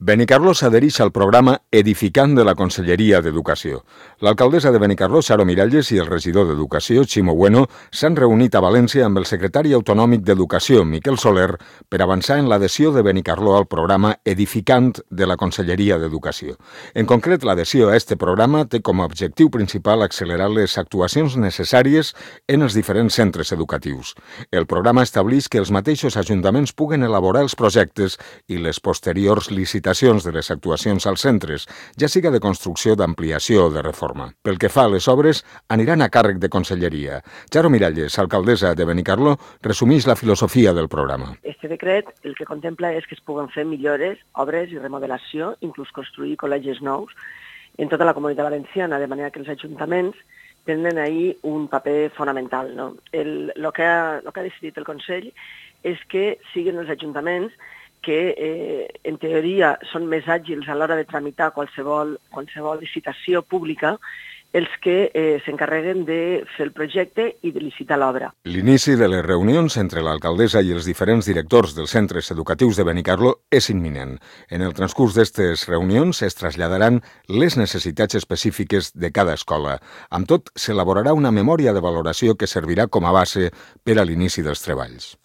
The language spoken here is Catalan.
Benicarló s'adhereix al programa Edificant de la Conselleria d'Educació. L'alcaldessa de Benicarló, Charo Miralles, i el regidor d'Educació, Ximo Bueno, s'han reunit a València amb el secretari autonòmic d'Educació, Miquel Soler, per avançar en l'adhesió de Benicarló al programa Edificant de la Conselleria d'Educació. En concret, l'adhesió a aquest programa té com a objectiu principal accelerar les actuacions necessàries en els diferents centres educatius. El programa estableix que els mateixos ajuntaments puguen elaborar els projectes i les posteriors licitacions de les actuacions als centres, ja siga de construcció, d'ampliació o de reforma. Pel que fa a les obres, aniran a càrrec de Conselleria. Charo Miralles, alcaldessa de Benicarló, resumeix la filosofia del programa. Este decret el que contempla és que es puguen fer millores, obres i remodelació, inclús construir col·legis nous en tota la comunitat valenciana, de manera que els ajuntaments tenen ahí un paper fonamental, no? El que ha decidit el Consell és que siguin els ajuntaments que en teoria són més àgils a l'hora de tramitar qualsevol licitació pública, els que s'encarreguen de fer el projecte i de licitar l'obra. L'inici de les reunions entre l'alcaldessa i els diferents directors dels centres educatius de Benicarló és imminent. En el transcurs d'aquestes reunions es traslladaran les necessitats específiques de cada escola. Amb tot, s'elaborarà una memòria de valoració que servirà com a base per a l'inici dels treballs.